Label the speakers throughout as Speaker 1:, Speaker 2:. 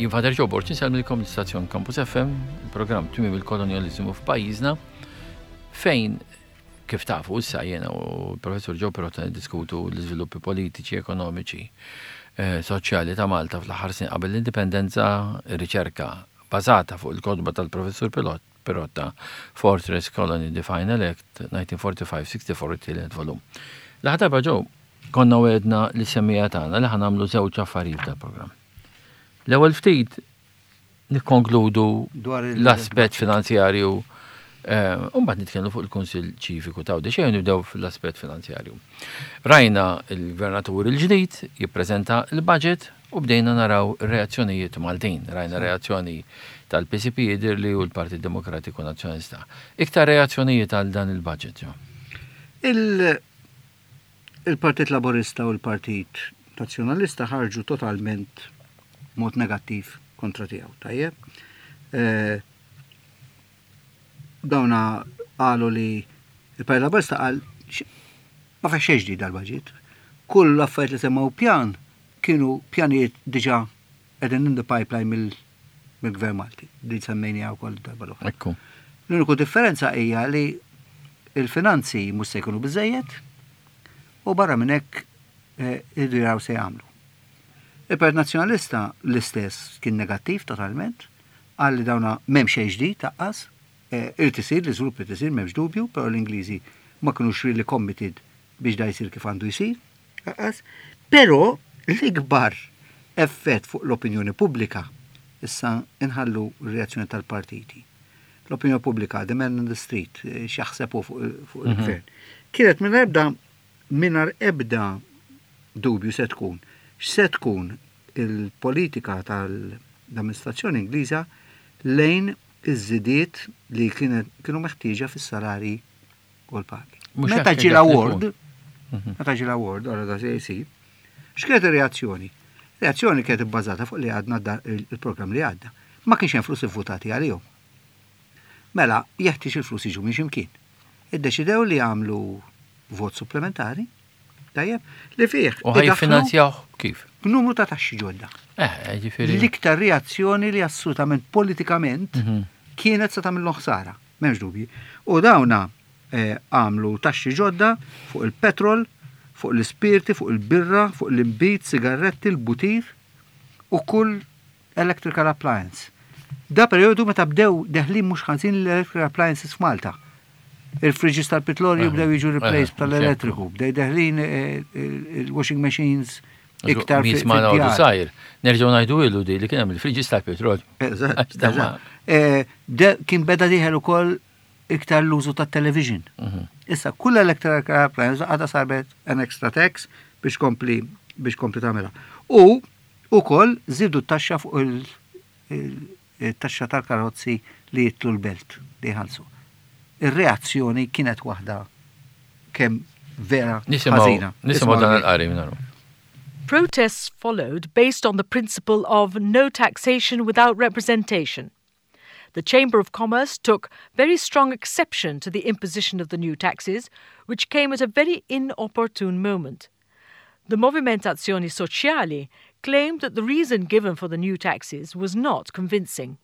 Speaker 1: Jien Father Joe Borg insellmilkom l-istazzjon Campus FM, il-programm Tmiem il-Kolonjaliżmu f'pajjiżna, fejn kif tafu issa jiena u l-Professur Joe Pirotta niddiskutu l-iżviluppi politiċi, ekonomiċi, eh, soċjali ta' Malta fl-aħħar snin qabel l-indipendenza, ir-riċerka bażata fuq il-kotba tal-Professur Pilot Pirotta, Fortress Colony The Final Act, 1945-64 it-tielet volum. L-aħħar darba Joe, konna wegħedna lis-semmiegħa tagħna li ħa nagħmlu żewġ affarijiet f'dal-programm. L-ewwel ftit nikkonkludu l-aspett finanzjarju eh, u mbagħad nitkellmu fuq il-Kunsill Ċiviku ta' Għawdex. Ejjew nibdew fl-aspett finanzjarju. Rajna l-Gvernatur il-ġdid jippreżenta l-budget u bdejna naraw reazzjonijiet Maltin. Rajna reazzjoni tal-PCP jidhirli u l-Partit Demokratiku Nazzjonalista. Iktar reazzjonijiet għal dan il-budget, jo.
Speaker 2: Il-Partit Laburista u l-Partit Nazzjonalista ħarġu totalment mod negattiv kontra tiegħu, tajjeb. Eh, dawna qalu li il-Partit Laburista qal ma fih xejn ġdid dal-budget. Kull l-affarijiet li semmew pjan kienu pjanijiet diġà qegħdin in the pipeline mill-Gvern Malti, li semmejniha wkoll darba l-oħra.
Speaker 1: Ekku.
Speaker 2: L-uniku differenza hija li il-finanzi mhux se jkunu biżejjed u barra minn hekk eh, iridu jaraw se jagħmlu. Il-Partit Nazzjonalista l-istess kien negattiv totalment, qal li dawna m'hemm xejn ġdid taqqas, eh, irid isir, l-iżvilupp irid isir m'hemmx dubju, però l-Ingliżi ma kinux really committed biex da jsir kif għandu jsir. Aqqas. Però l-ikbar effett fuq l-opinjoni pubblika, issa inħallu r-reazzjoni tal-partiti. L-opinjoni pubblika, the man in the street, x'jaħseb hu fuq mhm. il-gvern. Kienet minn ebda mingħajr ebda dubju se tkun x'se tkun il-politika tal-amministrazzjoni Ingliża lejn iż-żidiet li kienu meħtieġa fis-salari u l-pagi. Meta ġie l-award, mhm. meta ġie l-award, għara da se jsir, x'kienet ir-reazzjoni? Reazzjoni kienet ibbażata fuq li għadna il-programm li għadda. Ma kienx hemm flus ivvutati għalihom. Mela, jeħtieġ il-flus jiġu minn x'imkien. Iddeċidew li jagħmlu vot supplementari, tajjeb, li fih.
Speaker 1: U ħaj kif?
Speaker 2: Numru ta' taxxi ġodda.
Speaker 1: Eh, eh, ġifieri.
Speaker 2: L-iktar reazzjoni li assolutament politikament mhm. kienet se tagħmilhom ħsara. M'hemmx dubji. U dawna għamlu taxxi ġodda fuq il-petrol, fuq l-ispirti, fuq il-birra, fuq l-inbid, sigarretti, l-butir u kull electrical appliance. Da perjodu meta bdew deħlin mhux ħażin l-electrical appliances f'Malta. Il-fridges tal-petrolju bdew jiġu replaced tal-elettriku, bdew deħlin il-washing machines iktar
Speaker 1: fi Nisma' sajr. Nerġgħu ngħidu ilu di li kien hemm il-friġis tal-petrol.
Speaker 2: Eżatt. Eh, kien beda dieħel ukoll iktar l-użu tat-television. Mhm. Issa kull electric appliance għadha sarbet an extra tax biex kompli biex kompli tagħmilha. U ukoll żidu t-taxxa fuq il-taxxa tal-karozzi li jitlu l-belt li jħallsu. Ir-reazzjoni kienet waħda kemm vera ħażina.
Speaker 1: Nisimgħu dan il-qari minnaru.
Speaker 3: Protests followed based on the principle of no taxation without representation. The Chamber of Commerce took very strong exception to the imposition of the new taxes, which came at a very inopportune moment. The Movimentazioni Sociali claimed that the reason given for the new taxes was not convincing.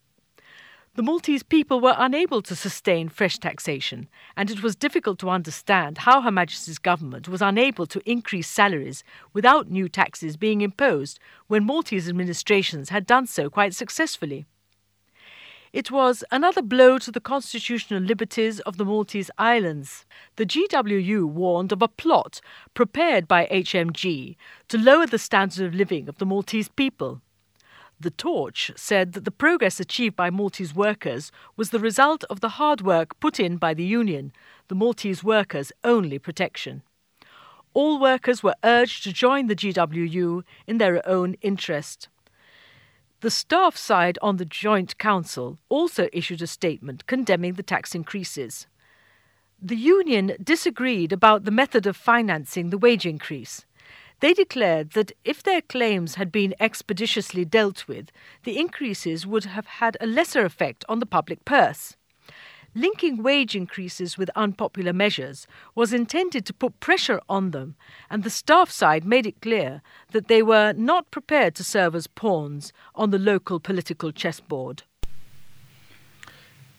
Speaker 3: The Maltese people were unable to sustain fresh taxation, and it was difficult to understand how Her Majesty's government was unable to increase salaries without new taxes being imposed when Maltese administrations had done so quite successfully. It was another blow to the constitutional liberties of the Maltese Islands. The GWU warned of a plot prepared by HMG to lower the standard of living of the Maltese people. The Torch said that the progress achieved by Maltese workers was the result of the hard work put in by the union, the Maltese workers' only protection. All workers were urged to join the GWU in their own interest. The staff side on the Joint Council also issued a statement condemning the tax increases. The union disagreed about the method of financing the wage increase. They declared that if their claims had been expeditiously dealt with, the increases would have had a lesser effect on the public purse. Linking wage increases with unpopular measures was intended to put pressure on them, and the staff side made it clear that they were not prepared to serve as pawns on the local political chessboard.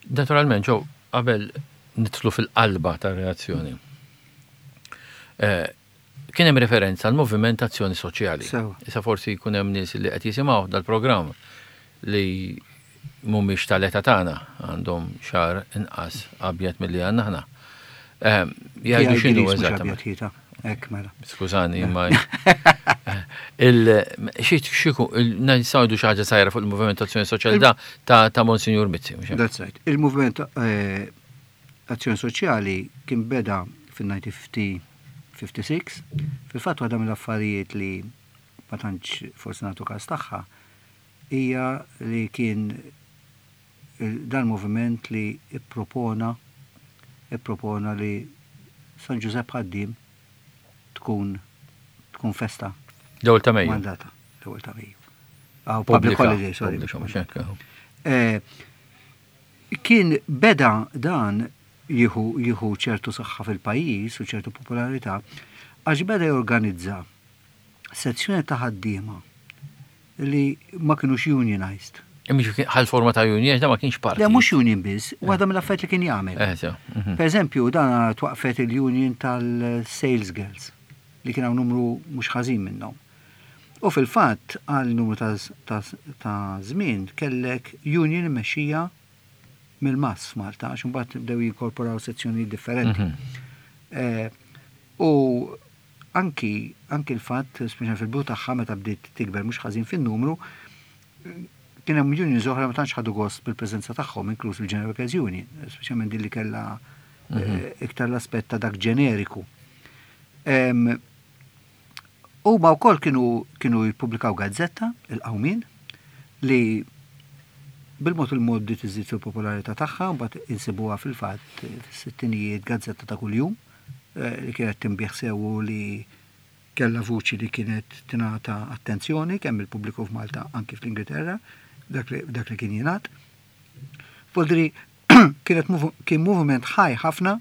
Speaker 1: Naturalment, Joe, qabel nidħlu fil-qalba tar-reazzjoni, eh, kien hemm referenza għal moviment azzjoni soċjali. Issa forsi jkun hemm nies li qed jisimgħu dal-programm li mhumiex tal-età tagħna għandhom xar inqas abjad milli għandna aħna. Ehm, jgħidu x'inhu
Speaker 2: eżattament. Hekk mela.
Speaker 1: Skużani, ma il xi xiku nistgħu xi ħaġa sajra fuq il-Moviment Azzjoni Soċjali da ta' Monsinjur Mizzi.
Speaker 2: That's right. Il-Moviment eh, Azzjoni Soċjali kien beda fil-1956, fil-fatt waħda mill-affarijiet li ma tantx forsi nagħtu każ tagħha hija li kien dan moviment li ippropona ippropona li San Ġużepp Ħaddiem tkun tkun festa.
Speaker 1: L-ewwel ta' Mejju.
Speaker 2: Mandata, l-ewwel ta' Mejju. Ah, public holiday, sorry. Eh, kien beda dan jieħu jieħu ċertu saħħa fil-pajjiż u ċertu popolarità għax beda jorganizza sezzjoni ta' ħaddiema li ma kinux unionized.
Speaker 1: Imma ħal forma ta' union, da ma kienx parti.
Speaker 2: Le mhux union biss, eh. waħda mill-affarijiet li kien jagħmel. Eh, mhm. Per eżempju, dan twaqfet il-union tal-sales girls li kien hawn numru mhux ħażin minnhom. U fil-fatt għal numru ta' żmien kellek union immexxija mill-mass f'Malta, għax imbagħad bdew jinkorporaw sezzjonijiet differenti. Mhm. Eh, u Anki, anki l-fatt, speċjalment fil-bidu tagħha meta bdiet tikber mhux ħażin fin-numru, kien hemm unions oħra ma tantx ħadu gost bil-preżenza tagħhom, inkluż il-General Workers Union, speċjalment din li kellha mhm. iktar l-aspett ta' dak ġeneriku. Huma wkoll kienu kienu jippubblikaw gazzetta, il-Qawmien, li bil-mod il-mod bdiet iżid fil-popolarità tagħha, mbagħad insibuha fil-fatt fis-sittinijiet gazzetta ta' kuljum. li kienet tinbiegħ sew u li kellha vuċi li kienet tingħata attenzjoni kemm mill-pubbliku f'Malta anki fl-Ingilterra, dak li, dak li kien jingħad. Voldri kienet kien moviment ħaj ħafna,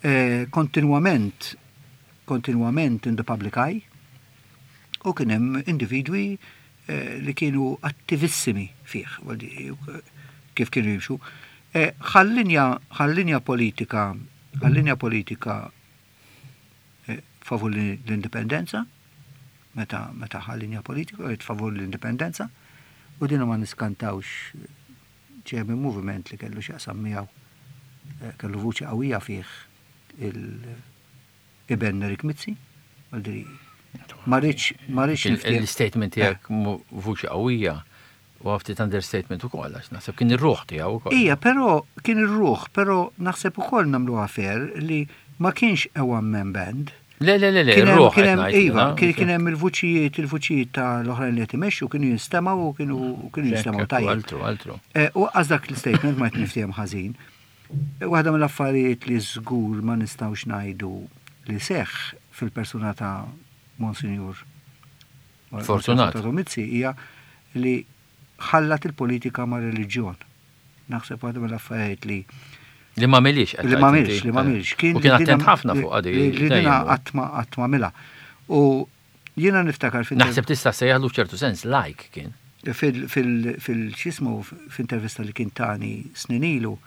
Speaker 2: eh, kontinwament kontinwament in the public eye, u kien hemm individwi eh, li kienu attivissimi fih, kif kienu jimxu. Eh, ħal-linja politika Għal-linja politika favur l-indipendenza, meta meta ħa linja politika kienet favur l-indipendenza, u din ma niskantawx ġej minn moviment li kellu x'jaqsam miegħu, kellu vuċi qawwija fih il-iben Nerik Mizzi, ma rridx ma rridx
Speaker 1: Il-statement tiegħek vuċi qawwija Huwa ftit understatement ukoll għax naħseb kien ir-ruħ tiegħu ukoll.
Speaker 2: Ija, però kien ir-ruħ, però naħseb ukoll nagħmluha fair li ma kienx a one man band.
Speaker 1: Le, le, le, le, ir-ruħ.
Speaker 2: Kien hemm, iva, kien hemm il-vuċijiet, il-vuċijiet ta' l-oħrajn li qed imexxu kienu jinstemgħu u kienu kienu jinstemgħu tajjeb.
Speaker 1: Altru, altru.
Speaker 2: Eh, u għaż dak l-statement ma qed niftiehem ħażin. Waħda mill-affarijiet li żgur ma nistgħux ngħidu li seħħ fil-persuna ta' Monsinjur
Speaker 1: Fortunat.
Speaker 2: Mizzi hija li ħallat il-politika ma' reliġjon. Naħseb waħda mill-affarijiet li
Speaker 1: Li ma milix.
Speaker 2: Li ma milix, li ma milix.
Speaker 1: Kien kien attent ħafna fuq għadi.
Speaker 2: Li dina għatma għatma mila. U jiena niftakar
Speaker 1: fil Naħseb tista' sejjaħlu f'ċertu sens like kien.
Speaker 2: Fil-xismu, f'intervista li kien tani snin ilu,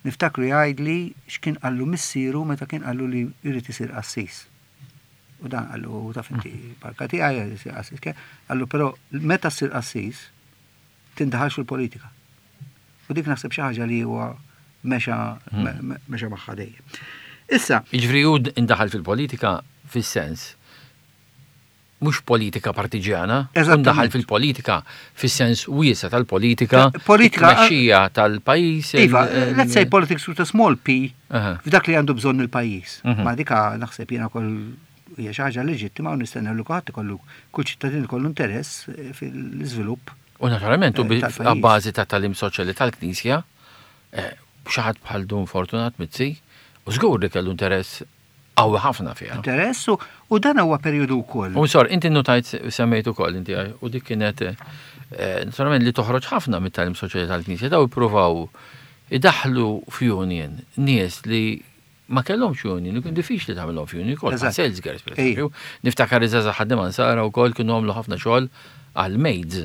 Speaker 2: niftakru jgħidli x'kien qallu missieru meta kien qallu li jrid isir qassis. U dan qallu, taf inti, barka tiegħi isir qassis. Qallu però meta ssir qassis tindaħalx fil-politika. U dik naħseb xi ħaġa li huwa mexa hmm. mexa magħha dejjem.
Speaker 1: Issa. Jiġifieri hu indaħal fil-politika fis-sens mhux politika partiġjana, ndaħal fil-politika fis-sens wiesa' tal-politika,
Speaker 2: politika
Speaker 1: tmexxija tal-pajjiż.
Speaker 2: Iva, let's say politics with a small p f'dak li għandu bżonn il-pajjiż. Mhm. Ma dika naħseb jiena kol hija xi ħaġa leġittima u nistennew li kulħadd ikollu kull ċittadin ikollu interess eh, fil-iżvilupp.
Speaker 1: U naturalment u eh, bażi ta' talim soċjali tal-Knisja, eh, xi ħadd bħal Dun Fortunat Mizzi, u żgur li kellu interess qawwi ħafna fiha.
Speaker 2: Interess u dan huwa perjodu wkoll.
Speaker 1: U sor, inti notajt semmejt ukoll inti u dik kienet eh, naturalment li toħroġ ħafna mit-tagħlim soċjali tal-Knisja daw ippruvaw Idaħħlu f'union nies li ma kellhomx union, li kien diffiċli tagħmilhom f'union, ukoll bħal sales girls pereżempju. Niftakar iż-żgħażagħ ħaddiema nsara wkoll kienu għamlu ħafna xogħol għal maids.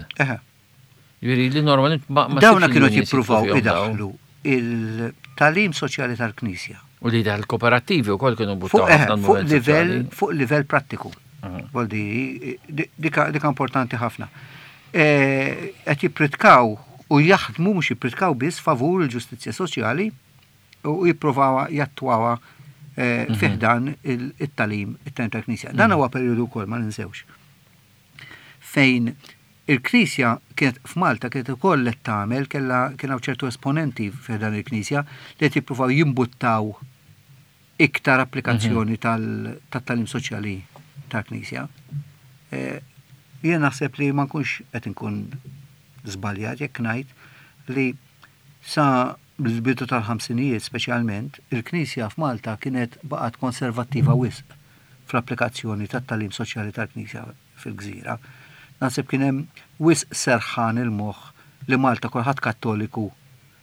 Speaker 1: Jiġifieri li normalment ma
Speaker 2: Dawna kienu qed jippruvaw idaħħlu il-tagħlim soċjali tal-Knisja.
Speaker 1: U li daħal kooperattivi wkoll kienu buttaw ħafna
Speaker 2: fuq livell fuq livell prattiku. Voldi, dika importanti ħafna. Qed jippritkaw u jaħdmu mhux jippritkaw biss favur il-ġustizzja soċjali u jippruvaw jattwawha fi ħdan it-tagħlim it-tagħlim tal-Knisja. Dan huwa perjodu wkoll ma ninsewx fejn il-Knisja kienet f'Malta kienet ukoll qed tagħmel kellha kien hawn ċertu esponenti fi ħdan il-Knisja li qed jippruvaw jimbuttaw iktar applikazzjoni tat-tagħlim soċjali tal-Knisja. Jien naħseb li ma nkunx qed inkun żbaljat jekk ngħid li sa l-bidu tal-ħamsinijiet speċjalment, il-Knisja f'Malta kienet baqgħet konservattiva wisq fl-applikazzjoni tat-tagħlim soċjali tal-Knisja fil-gżira. Naħseb kien hemm wisq serħan il-moħħ li Malta kulħadd Kattoliku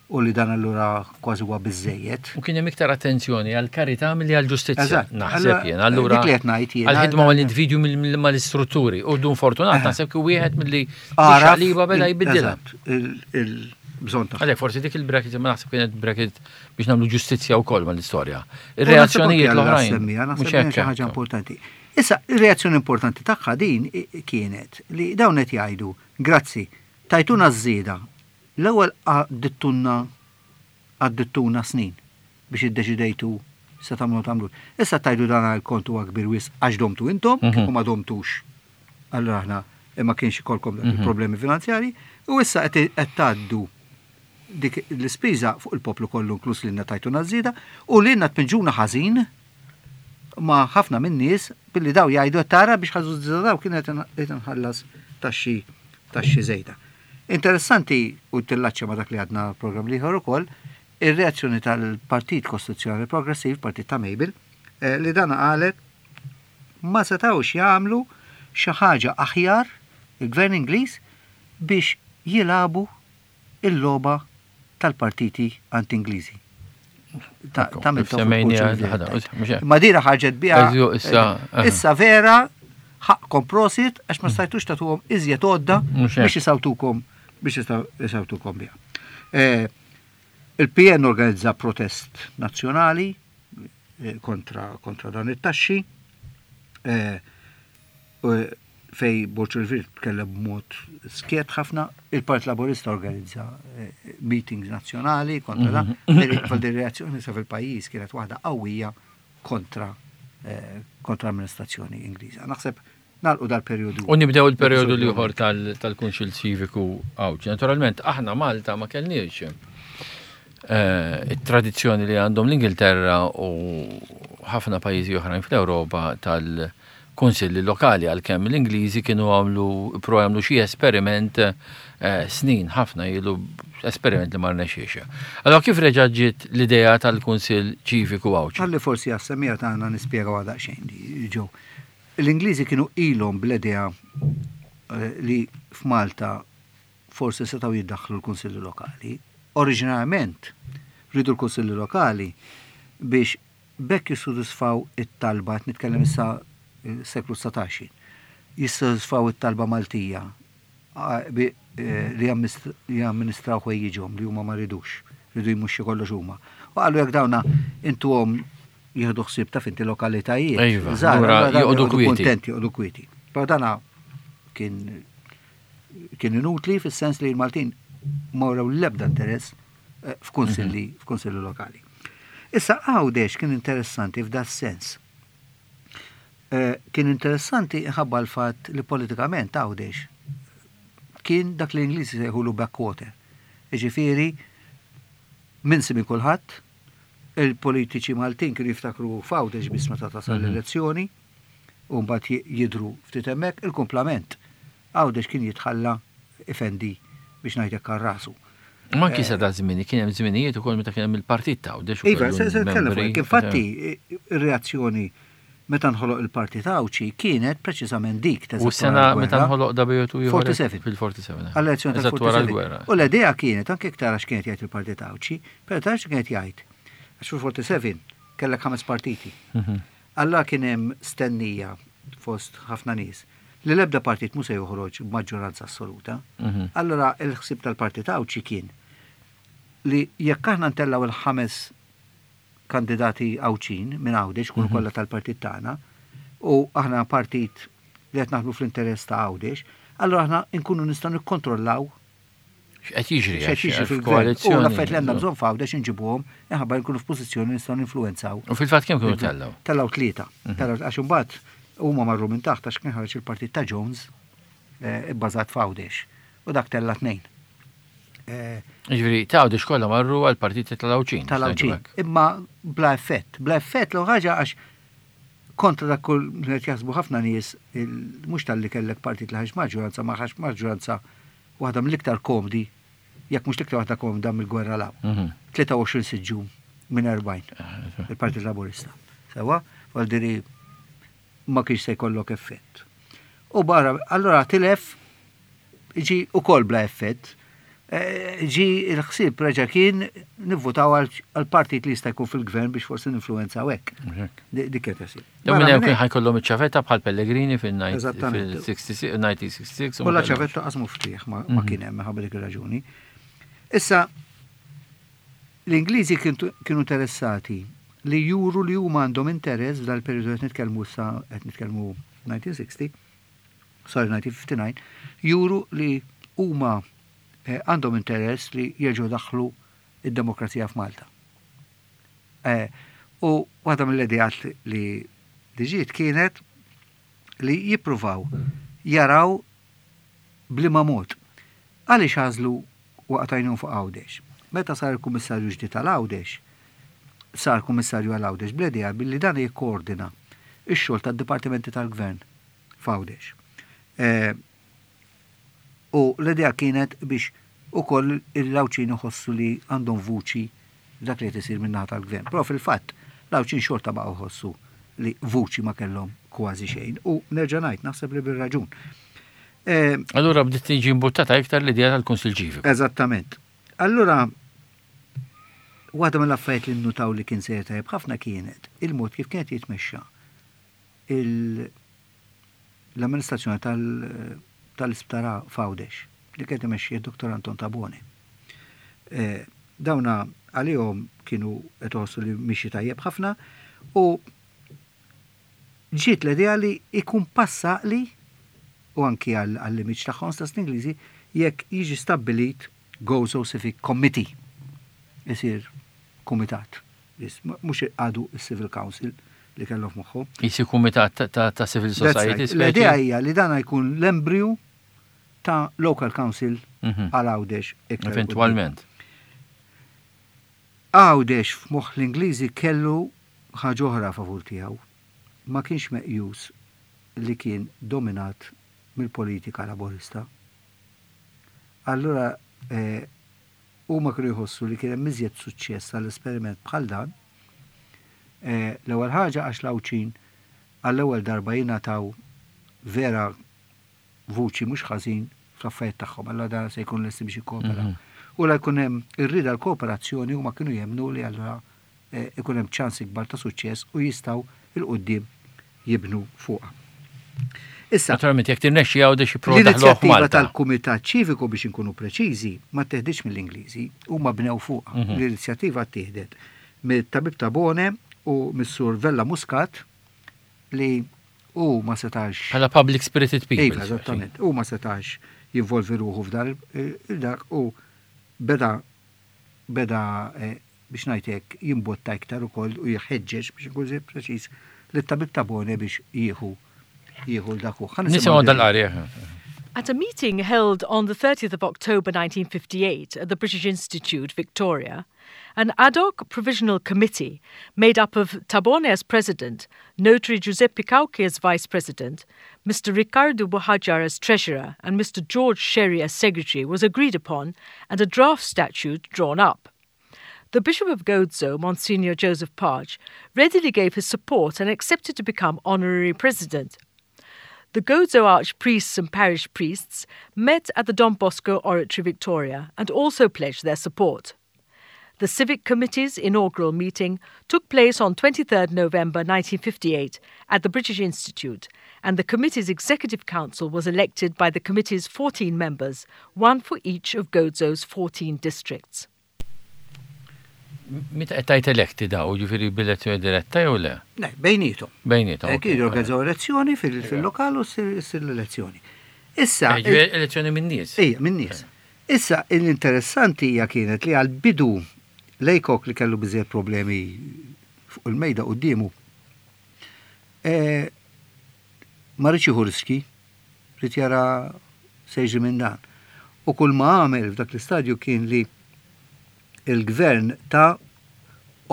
Speaker 2: u li dan allura kważi huwa biżżejjed.
Speaker 1: U kien hemm iktar attenzjoni għall-karità milli għall-ġustizzja, naħseb jien. Allura
Speaker 2: dik li qed ngħid jien.
Speaker 1: Għall-ħidma mal-individwi milli mal-istrutturi. U Dun Fortunat naħseb kien wieħed milli xaqliba beda jbiddilha.
Speaker 2: Il-bżonn
Speaker 1: tagħha. Għalhekk forsi dik il-bracket imma naħseb kienet bracket biex nagħmlu ġustizzja wkoll mal-istorja. Ir-reazzjonijiet l-oħrajn.
Speaker 2: Mhux hekk xi ħaġa importanti. Issa, ir-reazzjoni importanti tagħha din kienet li dawn qed jgħidu, grazzi, tajtuna ż-żieda L-ewwel għaddittunna għaddittuna snin biex iddeċidejtu se tagħmlu ma tagħmlux. Issa tgħidu dan il-kont huwa kbir wisq għax domtu intom, kieku ma domtux allura aħna ma kienx ikollkom dak il-problemi finanzjarji u issa qed tgħaddu dik l-ispiża fuq il-poplu kollu inkluż lilna tajtuna ż-żieda u lilna tpinġuna ħażin ma' ħafna min-nies billi daw jgħidu qed tara biex ħażu ż-żieda daw kien qed inħallas taxxi taxxi żejda. Interessanti, u tillaċċja ma' dak li għadna l-programm l-ieħor ukoll, ir-reazzjoni tal-Partit Kostituzzjonali Progressiv, partit ta' Mabel, li dana qalet ma setgħux jagħmlu xi ħaġa aħjar il-Gvern Ingliż biex jilagħbu il-logħba tal-partiti anti-Ingliżi. Ta' minn Ma dira ħarġet biha. Issa vera ħaqqkom prosit għax ma stajtux tagħtuhom iżjed għodda biex isawtukom biex isawtukom biha. Eh, Il-PN organizza protest nazzjonali eh, kontra, kontra dan it-taxxi. Eh, Fejn Borg Olivier tkellem b'mod skjett ħafna, il-Partit Laburista organizza meetings nazzjonali kontra dan, mhm. reazzjoni sa fil-pajjiż kienet waħda qawwija kontra kontra l-amministrazzjoni Ingliża. Naħseb nagħlqu dal-perjodu.
Speaker 1: U nibdew il-perjodu l-ieħor tal-Kunsill Ċiviku Għawdxi. Naturalment, aħna Malta ma kellniex it-tradizzjoni li għandhom l-Ingilterra u ħafna pajjiżi oħrajn fl-Ewropa tal- kunsilli lokali għalkemm l-Ingliżi kienu għamlu pro jagħmlu xi esperiment eh, snin ħafna ilu esperiment li ma rnexxiex. Allora kif reġa' ġiet l-idea tal-Kunsill Ċiviku Għawdxi?
Speaker 2: Ħalli forsi għas-semmiegħa tagħna nispjegaw daqsxejn ġew. L-Ingliżi kienu ilhom bl-idea eh, li f'Malta forsi setgħu jiddaħħlu l-kunsilli lokali. Oriġinarjament riedu l-kunsilli lokali biex B'hekk jissodisfaw it-talba, qed nitkellem issa seklu 19 jien, jissodisfaw it-talba Maltija li jamministraw ħwejjiġhom li huma ma ridux, riedu jmexxu kollox huma. U qalu jekk dawna intuhom jieħdu ħsieb taf inti lokalitajiet.
Speaker 1: Iva, joqogħdu
Speaker 2: kuntenti, joqogħdu kwieti. Però dana kien kien inutli fis-sens li l-Maltin ma wrew l-ebda interess f'kunsilli mhm. f'kunsilli lokali. Issa Għawdex kien interessanti f'da sens. Eh, kien interessanti ħabba l-fatt li politikament Għawdex kien dak li l-Ingliżi sejħulu backwater. Ġifieri minn simi kulħadd, il-politiċi Maltin kienu jiftakru f'Għawdex biss meta tasal mhm. l-elezzjoni, u mbagħad jidru ftit hemmhekk, il-kumplament Għawdex kien jitħalla ifendi biex ngħid hekk għal rasu.
Speaker 1: Ma anki sa da żmien, kien hemm żminijiet ukoll meta kien hemm il-partit ta' Għawdex.
Speaker 2: Iva, se nitkellem fuq hekk. Infatti, ir-reazzjoni Meta nħoloq il-Partit Għawdxi kienet preċiżament dik
Speaker 1: ta' U sena meta nħoloq W2
Speaker 2: 47.
Speaker 1: Fil-47.
Speaker 2: Għall-elezzjoni tal-47. U l-idea kienet anke tara x'kienet jgħid il-Partit Għawdxi, però tara x'kienet jgħid. Għax fil-47 kellek ħames partiti. Alla kien hemm stennija fost ħafna nies li l-ebda partit mhu se joħroġ b'maġġoranza assoluta. Allora il-ħsieb tal-Partit Għawdxi kien li jekk aħna ntellgħu il-ħames kandidati Għawdxin minn Għawdex, kunu kollha tal-partit tagħna, u aħna partit li qed naħdmu fl-interess ta' Għawdex, allora aħna nkunu nistgħu nikkontrollaw
Speaker 1: X'qed jiġri?
Speaker 2: X'qed jiġri fil-gvern. U l-affarijiet li għandna bżonn f'Għawdex inġibuhom minħabba nkunu f'pożizzjoni nistgħu ninfluwenzaw.
Speaker 1: U fil-fatt kemm kienu tellgħu?
Speaker 2: Tellgħu tlieta. Tellgħu għax imbagħad huma marru minn taħt għax kien ħareġ il-partit ta' Jones ibbażat f'Għawdex. U dak tella' tnejn.
Speaker 1: Ġifieri, ta' Għawdex kollha marru għall-partiti tal-Għawdxin.
Speaker 2: Tal-Għawdxin. Imma bla effett. Bla effett l ħaġa għax kontra dak kull qed jaħsbu ħafna nies mhux talli kellek partit li ħax maġġoranza ma ħax maġġoranza waħda mill-iktar komdi, jekk mhux l-iktar waħda komda mill-gwerra 'l hawn. 23 siġġu minn 40 il-Partit Laburista. Sewa, vuol ma kienx se jkollok effett. U barra, allora tilef ġi u kol bla effett. Ġi il-ħsieb reġa' kien nivvutaw għal-partit li jista' jkun fil-gvern biex forsi ninfluwenzaw hekk. Dik kienet ħsieb.
Speaker 1: Dawn minn hemm kien ħa jkollhom iċ-ċavetta bħal Pellegrini fil-1966.
Speaker 2: U la ċavetta qasmu ftiħ ma kien hemm minħabba dik ir-raġuni. Issa l-Ingliżi kienu interessati li juru li huma għandhom interess f'dal periodu qed nitkellmu sa qed nitkellmu 1960, sorry 1959, juru li huma għandhom interess li jerġgħu daħlu id-demokrazija f'Malta. U waħda mill-ideat li ġiet kienet li jippruvaw jaraw b'liema mod. Għaliex għażlu waqgħet għajnhom fuq Għawdex? Meta sar il-Kummissarju ġdid tal-Għawdex, sar Kummissarju għal Għawdex bl-idea billi dan jikkoordina ix-xogħol tad-dipartimenti tal-gvern f'Għawdex. U l-idea kienet biex ukoll il-Għawdxin iħossu li għandhom vuċi dak li qed isir min-naħa tal-gvern. Però fil-fatt l-Għawdxin xorta baqgħu jħossu li vuċi ma kellhom kważi xejn u nerġa' ngħid naħseb li bir-raġun.
Speaker 1: Allura bdiet tiġi imbuttata iktar l-idea tal-Kunsill Ċiviku.
Speaker 2: Eżattament. Allura waħda mill-affarijiet li nnutaw li kien sejjer tajjeb ħafna kienet il-mod kif kienet jitmexxa l-amministrazzjoni tal-isptar f'Għawdex li kienet imexxi Dr. Anton Tabone. Dawna għalihom kienu qed iħossu li mixi tajjeb ħafna u ġiet l-idea li ikun passa li u anki għall-image tagħhom stess l-Ingliżi jekk jiġi stabbilit Gozo Civic Committee. Isir kumitat. Mhux għadu il-Civil Council li kellhom f'moħħu.
Speaker 1: Jisir kumitat ta' Civil Society.
Speaker 2: L-idea hija li dan jkun l-embriju ta' Local Council għal Għawdex.
Speaker 1: Eventualment.
Speaker 2: Għawdex f'moħħ l-Ingliżi kellu ħaġa oħra favur tiegħu. Ma kienx meqjus li kien dominat mill-politika laborista. Allura huma kienu jħossu li kien hemm iżjed suċċess għall-esperiment bħal dan. L-ewwel ħaġa għax l-Għawdxin għall-ewwel darba jingħataw vera vuċi mhux ħażin fl-affarijiet tagħhom, allura dan se jkun lesti biex jikkooperaw. U la jkun hemm ir-rieda l-kooperazzjoni huma kienu jemmnu li allura ikun hemm ċans ikbar ta' suċċess u jistgħu 'l quddiem jibnu fuqha.
Speaker 1: Issa, naturalment jekk tirnexxi Għawdex jipprova
Speaker 2: L-inizjattiva tal-Kumitat Ċiviku biex inkunu preċiżi ma teħdiċ mill-Ingliżi, huma bnew fuqha. L-inizjattiva ttieħdet mill-Tabib Tabone u mis-Sur Vella Muscat li u ma setax.
Speaker 1: Bħala public spirited people.
Speaker 2: Iva, eżattament. U ma setax jinvolvi ruħu f'dan il-dak u beda biex ngħidlek jimbotta iktar ukoll u jħeġġeġ biex ikun preċiż lit-Tabib Tabone biex jieħu l-dak.
Speaker 1: Nisimgħu dal-qari.
Speaker 3: At a meeting held on the 30th of October 1958 at the British Institute, Victoria, an ad hoc provisional committee made up of Tabone as president, Notary Giuseppe Cauchi as vice president, Mr. Riccardo Buhagiar as treasurer, and Mr. George Scerri as secretary was agreed upon and a draft statute drawn up. The Bishop of Gozo, Monsignor Joseph Pace, readily gave his support and accepted to become honorary president. The Gozo archpriests and parish priests met at the Don Bosco Oratory Victoria and also pledged their support. The Civic Committee's inaugural meeting took place on 23rd November 1958 at the British Institute, and the committee's executive council was elected by the committee's 14 members, one for each of Gozo's 14 districts.
Speaker 1: Meta qed tgħid eletti daw, ġifieri b'elezzjoni diretta jew le?
Speaker 2: Le, bejnietom.
Speaker 1: Bejnietom.
Speaker 2: Hekk jorganizzaw elezzjoni fil-lokal u ssir l-elezzjoni. Issa.
Speaker 1: Eh, elezzjoni minn nies.
Speaker 2: Ejja, minn nies. Issa, l-interessanti hija kienet li għal-bidu l-ACOC li kellu biżejjed problemi fuq il-mejda quddiemu, eh, ma riedx jieħu riski, ried jara se jiġri minn dan. U kull ma għamel f'dak l-istadju kien li il-gvern ta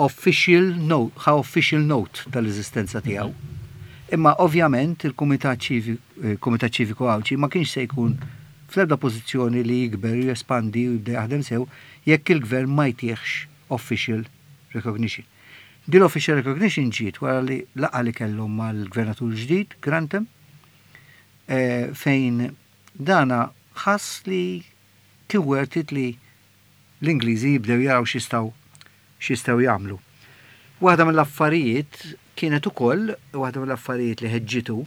Speaker 2: official note, ħa official note tal-eżistenza tiegħu. Imma ovvjament il-Kumitat Ċiviku Għawdxi ma kienx se jkun fl-ebda pożizzjoni li jikber u jespandi u jibda jaħdem sew jekk il-gvern ma jtihx official recognition. Din l-official recognition ġiet wara li laqgħa li kellhom mal-gvernatur ġdid, Grantham, fejn dana ħass li kien worth it li l-Ingliżi jibdew jaraw x'jistgħu x'jistgħu jagħmlu. Waħda mill-affarijiet kienet ukoll, waħda mill-affarijiet li ħeġġitu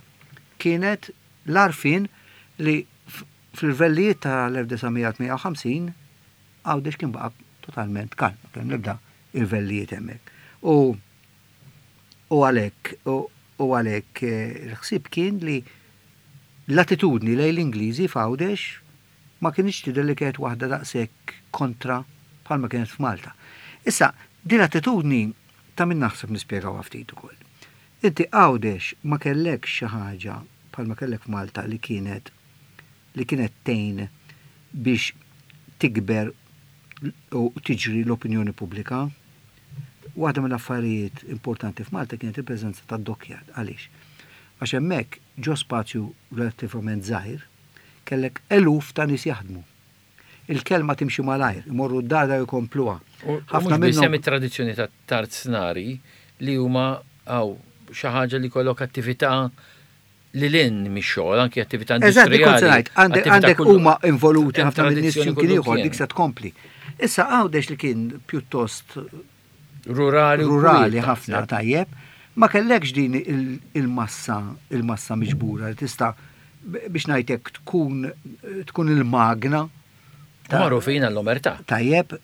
Speaker 2: kienet l-għarfien li fl-irvellijiet tal-1958 Għawdex kien baqa' totalment kalm, ma kien hemm l-ebda irvellijiet hemmhekk. U u għalhekk u għalhekk il-ħsieb kien li l-attitudni lejn l-Ingliżi f'Għawdex ma kinitx tidher li kienet waħda daqshekk kontra bħalma kienet f'Malta. Issa, din l-attitudni ta' min naħseb nispjegawha ftit ukoll. Inti Għawdex ma kellekx xi ħaġa bħalma kellek f'Malta li kienet li kienet tgħin biex tikber u tiġri l-opinjoni pubblika. Waħda mill-affarijiet importanti f'Malta kienet il-preżenza tad-dockyard. Għaliex? Għax hemmhekk ġo spazju relattivament żgħir kellek eluf ta' nies jaħdmu. Il-kelma timxi malajr, imorru d-dar u jkompluha.
Speaker 1: Ħafna minnhom. Hemm it-tradizzjoni ta' tarznari li huma hawn xi ħaġa li jkollok attività lil hinn mix-xogħol, anki attività
Speaker 2: industrijali. Għandek huma involuti ħafna minn nies x'imkien ieħor dik se tkompli. Issa Għawdex li kien pjuttost
Speaker 1: rurali
Speaker 2: rurali ħafna tajjeb, ma kellekx din il-massa il-massa miġbura li tista' biex ngħidlek tkun tkun il-magna.
Speaker 1: Magħrufin għall-omertà.
Speaker 2: Tajjeb.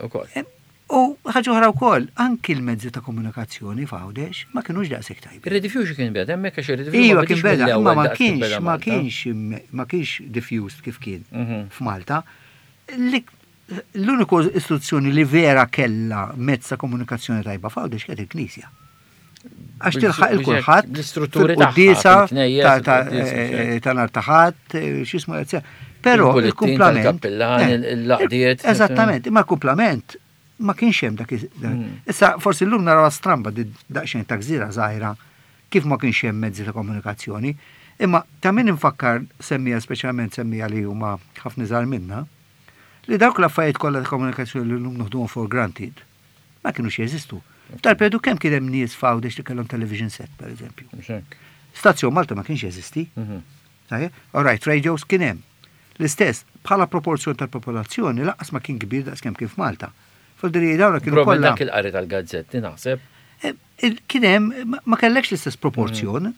Speaker 1: Ukoll.
Speaker 2: U ħaġa oħra wkoll, anki l-mezzi ta' komunikazzjoni f'Għawdex ma kinux daqshekk tajbin.
Speaker 1: Ir-rediffusion kien beda hemmhekk għax ir-rediffusion
Speaker 2: Iva kien beda, imma ma kienx ma kienx ma kienx diffused kif kien f'Malta. L-uniku istituzzjoni li vera kellha mezz ta' komunikazzjoni tajba f'Għawdex kienet il-Knisja. Għax tilħaq il-kulħadd
Speaker 1: l-istrutturi
Speaker 2: tagħha ta' nhar ta' ħadd, x'ismu Però il-kumplament.
Speaker 1: Il-kappillan, il-laqdiet.
Speaker 2: Eżattament, imma l-kumplament ma kienx hemm dak. Issa forsi llum naraw stramba daqsxejn ta' gżira żgħira kif ma kienx hemm mezzi ta' komunikazzjoni. Imma ta' min infakkar semmija speċjalment semmija li huma ħafna iżgħar minna, li dawk l-affarijiet kollha ta' komunikazzjoni li llum noħduhom for granted, ma kinux jeżistu. F'dal-perjodu kemm kien hemm nies f'Għawdex li kellhom television set, per eżempju. Stazzjon Malta ma kienx jeżisti. All right, radios kien hemm. L-istess, bħala proporzjon tal-popolazzjoni lanqas ma kien kbir daqs kemm kien f'Malta. Fil-diri dawna kienu
Speaker 1: kollha. Dak il-qari tal-gazzetti naħseb.
Speaker 2: Kien hemm, ma kellekx l-istess proporzjon.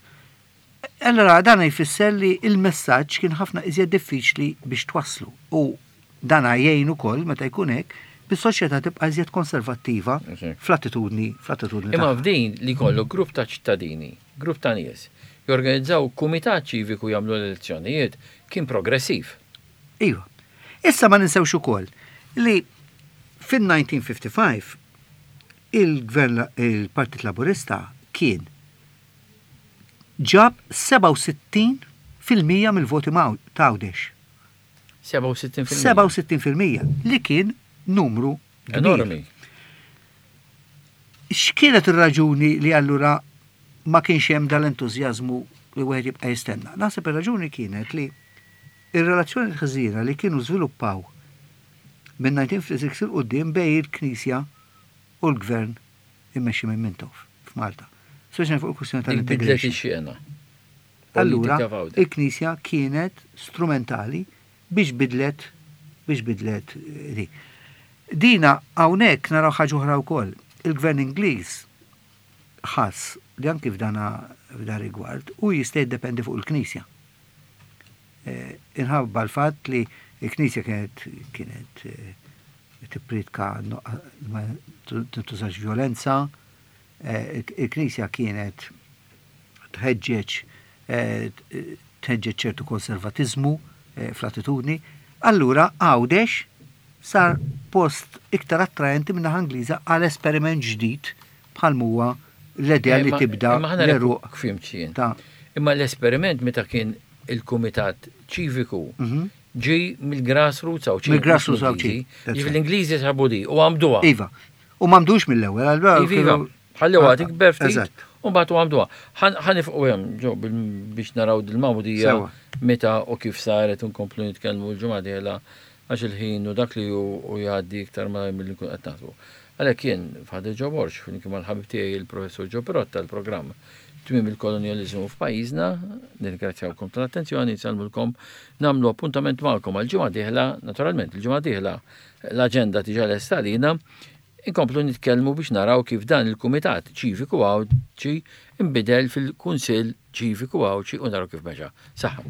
Speaker 2: Allora dan jfisser li il-messaġġ kien ħafna iżjed diffiċli biex twasslu. U dan jgħin ukoll meta jkun hekk biex soċjetà tibqa' iżjed konservattiva fl-attitudni fl-attitudni.
Speaker 1: Imma f'din li kollu grupp ta' ċittadini, grupp ta' nies, jorganizzaw kumitat ċiviku jagħmlu l-elezzjonijiet kien progressiv.
Speaker 2: Iva. Issa ma ninsewx ukoll li fin-1955 il-gvern il-Partit Laburista kien ġab 67% mill-voti ta' Għawdex.
Speaker 1: 67%?
Speaker 2: 67% li kien numru
Speaker 1: enormi.
Speaker 2: X'kienet ir-raġuni li allura ma kienx hemm dal-entużjażmu li wieħed jibqa' jistenna? Naħseb ir-raġuni kienet li ir-relazzjoni ħażina li kienu żviluppaw. minn 1956 'il quddiem bejn il-Knisja u l-Gvern immexxi minn Mintoff f'Malta. Speċjalment fuq il-kwistjoni
Speaker 1: Dik bidlet
Speaker 2: tal-integration.
Speaker 1: ix-xena
Speaker 2: Allura,
Speaker 1: politika f'Għawdex.
Speaker 2: il-Knisja kienet strumentali biex bidlet biex bidlet di. Dina hawnhekk naraw ħaġa oħra wkoll. Il-Gvern Ingliż ħass li anki f'dana f'dan rigward u jista' jiddependi fuq il-Knisja. Inħabba l-fatt li l-Knisja kienet kienet tippriedka ma tintużax violenza, il-Knisja kienet tħeġġeġ tħeġġeġ ċertu konservatiżmu fl-attitudni. Allura Għawdex sar post iktar attraenti minn naħa Ingliża għal esperiment ġdid bħal huwa l-idea li tibda
Speaker 1: Imma ħana
Speaker 2: l-għeruq
Speaker 1: fimt jien.
Speaker 2: ta'
Speaker 1: Imma l-esperiment meta kien il-Kumitat Ċiviku ġi mill-grassroots Għawdxin.
Speaker 2: Mill-grassroots Għawdxin, that's
Speaker 1: Ġifieri
Speaker 2: right.
Speaker 1: l-Ingliżi sabu di u għamduha.
Speaker 2: Iva. U m'għamdux mill-ewwel, allura
Speaker 1: Iva, iva.
Speaker 2: kienu-
Speaker 1: Ħallew tikber ftit.
Speaker 2: Eżatt.
Speaker 1: U mbagħad u għamduha. Ħa nifqu hemm ġo biex naraw dil-magħmudija
Speaker 2: Sewa.
Speaker 1: meta u kif saret u nkomplu nitkellmu l-ġimgħa dieħla għax il-ħin u dak li hu u jgħaddi iktar ma milli nkun qed naħsbu. Għalhekk jien Father Joe Borg, flimkien mal-ħabib tiegħi il-Professur Joe Pirotta l-programm Tmiem il-kolonjaliżmu f'pajjiżna, nirringrazzjawkom tal-attenzjoni, nsellmulkom, nagħmlu appuntament magħkom għal-ġimgħa dieħla, naturalment il-ġimgħa dieħla l-aġenda diġà lesta għalina, inkomplu nitkellmu biex naraw kif dan il-Kumitat Ċiviku Għawdxi imbidel fil-Kunsill Ċiviku Għawdxi u naraw kif mexa. Saħħa.